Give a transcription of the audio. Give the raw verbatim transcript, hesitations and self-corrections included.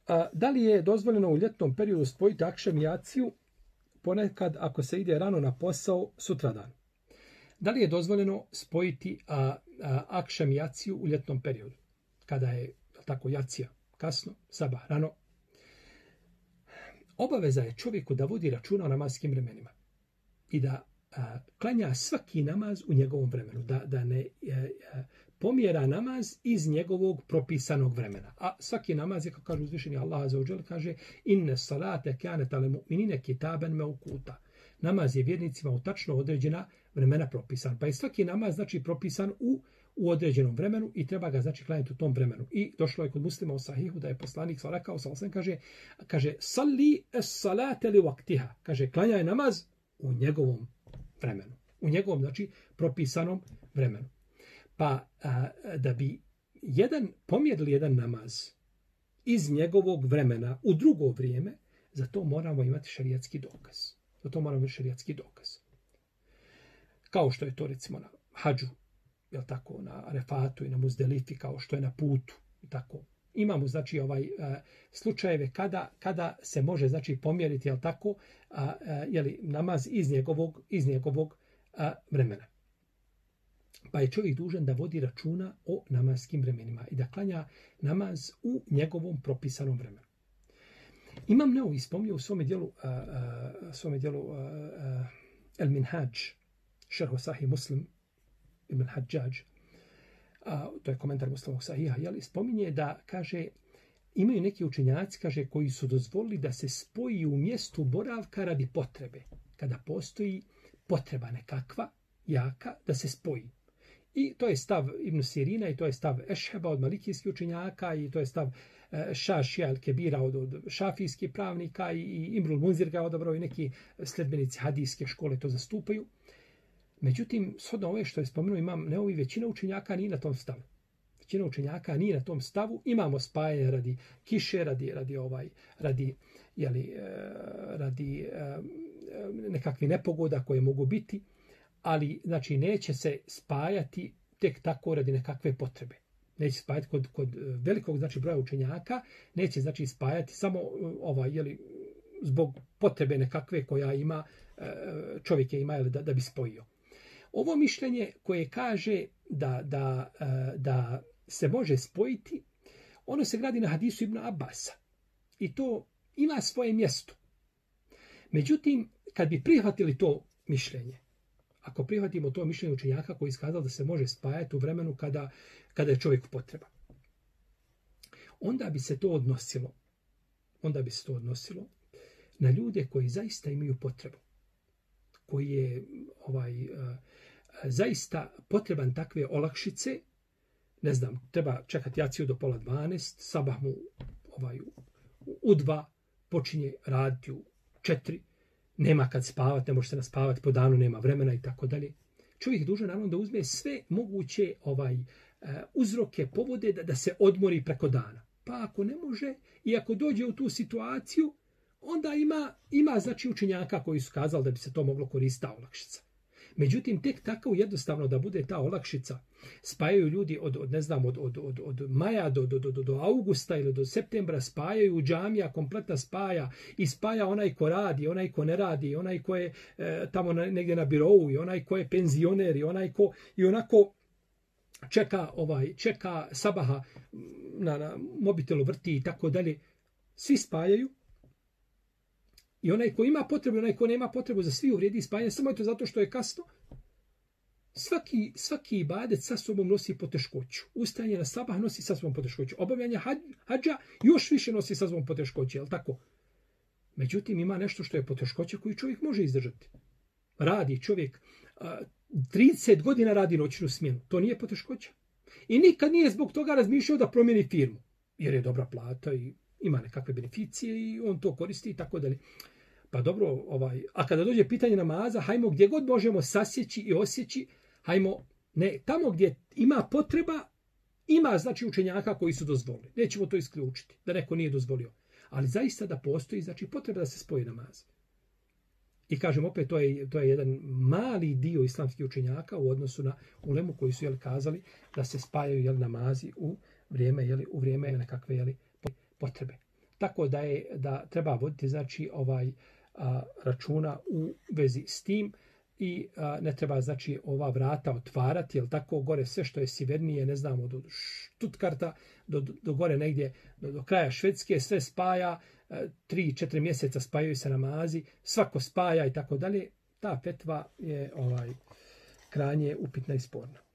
A, da li je dozvoljeno u ljetnom periodu spojiti akšam i jaciju ponekad ako se ide rano na posao sutradan? Da li je dozvoljeno spojiti a, a, akšam i jaciju u ljetnom periodu? Kada je tako jacija kasno, sabah rano. Obaveza je čovjeku da vodi računa o namatskim vremenima i da a, klanja svaki namaz u njegovom vremenu, da, da ne a, a, pomjera namaz iz njegovog propisanog vremena. A svaki namaz je, kako kaže uzvišeni Allah azza wa dželle, kaže inne salate kanat alel mu'minine kitaban mawquta. Namaz je vjernicima u tačno određena vremena propisan. Pa je svaki namaz znači propisan u u određenom vremenu i treba ga znači klanjati u tom vremenu. I došlo je kod Muslima u sahihu da je poslanik rekao, sallallahu kaže, kaže salli es-salate li waqtiha, kaže klanjaj namaz u njegovom vremenu, u njegovom znači propisanom vremenu. Pa a, da bi jedan pomjerili jedan namaz iz njegovog vremena u drugo vrijeme, za to moramo imati šerijatski dokaz. Za to moramo imati šerijatski dokaz. Kao što je to recimo na hadžu, jel tako, na Arefatu i na Muzdelifi, kao što je na putu, tako. Imamo znači ovaj uh, slučajeve kada kada se može znači pomjeriti, jel tako, a uh, uh, je li namaz iz njegovog iz njegovog uh, vremena. Pa je čovjek dužan da vodi računa o namatskim vremenima i da klanja namaz u njegovom propisanom vremenu. Imam Neovi spomnio u svome dijelu, uh, uh, svome dijelu uh, uh, El Minhaj, šerhu Sahih Muslim, Ibn Hadžađ, a, to je komentar Muslimovog sahiha, jeli, spominje da, kaže, imaju neki učenjaci, kaže, koji su dozvolili da se spoji u mjestu boravka radi potrebe. Kada postoji potreba nekakva, jaka, da se spoji. I to je stav Ibn Sirina i to je stav Ešheba od malikijskih učenjaka i to je stav e, Šašija al-Kebira od, od šafijskih pravnika i, i Imrul Munzir ga odabrao i neki sledbenici hadijske škole to zastupaju. Međutim, shodno ove što je spomenuo imam Neovi, većina učenjaka nije na tom stavu. Većina učenjaka nije na tom stavu. Imamo spajanje radi kiše, radi, radi, ovaj, radi, jeli, radi nekakvi nepogoda koje mogu biti, ali znači neće se spajati tek tako radi nekakve potrebe. Neće spajati kod, kod velikog znači broja učenjaka, neće znači spajati samo ovaj, jeli, zbog potrebe nekakve koja ima čovjek je ima jeli, da, da bi spojio. Ovo mišljenje koje kaže da, da, da se može spojiti, ono se gradi na hadisu Ibn Abasa. I to ima svoje mjesto. Međutim, kad bi prihvatili to mišljenje, ako prihvatimo to mišljenje učenjaka koji iskazali da se može spajati u vremenu kada, kada je čovjek potreba, onda bi se to odnosilo, onda bi se to odnosilo na ljude koji zaista imaju potrebu, koji je ovaj, uh, zaista potreban takve olakšice, ne znam, treba čekati jaciju do pola dvanaest, sabah mu ovaj, u dva, počinje raditi u četiri, nema kad spavati, ne može se naspavati, po danu nema vremena i tako dalje. Čovjek dužan naravno da uzme sve moguće ovaj, uh, uzroke, povode da, da se odmori preko dana. Pa ako ne može i ako dođe u tu situaciju, onda ima, ima znači učenjaka koji su kazali da bi se to moglo koristiti ta olakšica. Međutim, tek tako jednostavno da bude ta olakšica, spajaju ljudi od, od ne znam, od, od, od, od maja do, do, do, do augusta ili do septembra, spajaju džamija, kompletna spaja i spaja onaj ko radi, onaj ko ne radi, onaj ko je e, tamo na, negdje na birovu i onaj ko je penzioner i onaj ko i onako čeka, ovaj, čeka sabaha na, na mobitelu vrti i tako dalje. Svi spajaju. I onaj ko ima potrebu, onaj ko nema potrebu, za svi uvrijedi spajanje, samo je to zato što je kasno. Svaki, svaki ibadet sa sobom nosi poteškoću. Ustajanje na sabah nosi sa sobom poteškoću. Obavljanje hadža još više nosi sa sobom poteškoću, je li tako? Međutim, ima nešto što je poteškoća koju čovjek može izdržati. Radi čovjek, trideset godina radi noćnu smjenu. To nije poteškoća. I nikad nije zbog toga razmišljao da promijeni firmu. Jer je dobra plata i ima nekakve beneficije i on to koristi i tako dalje. Pa dobro, ovaj, a kada dođe pitanje namaza, hajmo gdje god možemo sasjeći i osjeći, hajmo, ne, tamo gdje ima potreba, ima znači učenjaka koji su dozvolili. Nećemo to isključiti, da neko nije dozvolio. Ali zaista da postoji, znači potreba da se spoji namaz. I kažem opet, to je, to je jedan mali dio islamskih učenjaka u odnosu na ulemu koji su jeli, kazali da se spajaju jeli, namazi u vrijeme, jeli, u vrijeme nekakve jeli, potrebe. tako da je da treba voditi znači ovaj a, računa u vezi s tim i a, ne treba znači ova vrata otvarati, jel tako, gore sve što je sjevernije, ne znamo, do Stuttgarta, do, do gore negdje, do, do kraja Švedske, sve spaja, tri, četiri mjeseca spajaju se namazi, svako spaja i tako dalje. Ta fetva je ovaj krajnje upitna i sporna.